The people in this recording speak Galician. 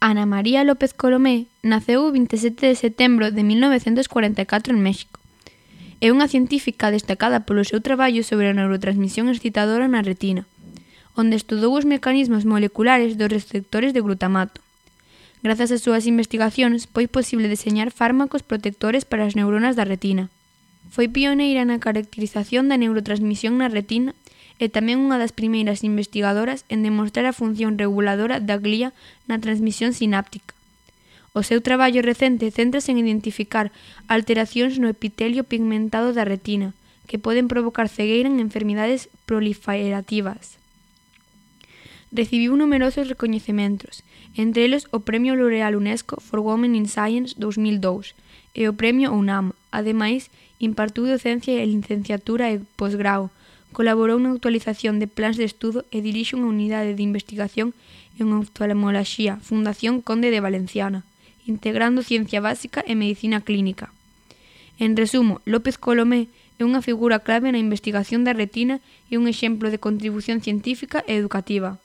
Ana María López Colomé naceu o 27 de setembro de 1944 en México. É unha científica destacada polo seu traballo sobre a neurotransmisión excitadora na retina, onde estudou os mecanismos moleculares dos receptores de glutamato. Grazas ás súas investigacións, foi posible deseñar fármacos protectores para as neuronas da retina. Foi pioneira na caracterización da neurotransmisión na retina e tamén unha das primeiras investigadoras en demostrar a función reguladora da glía na transmisión sináptica. O seu traballo recente céntrase en identificar alteracións no epitelio pigmentado da retina, que poden provocar cegueira en enfermidades proliferativas. Recibiu numerosos recoñecementos, entre eles o Premio L'Oréal UNESCO for Women in Science 2002 e o Premio UNAM. Ademais, impartiu docencia e licenciatura e posgrao, colaborou na actualización de plans de estudo e dirixe unha unidade de investigación en oftalmoloxía, Fundación Conde de Valenciana, integrando ciencia básica e medicina clínica. En resumo, López Colomé é unha figura clave na investigación da retina e un exemplo de contribución científica e educativa.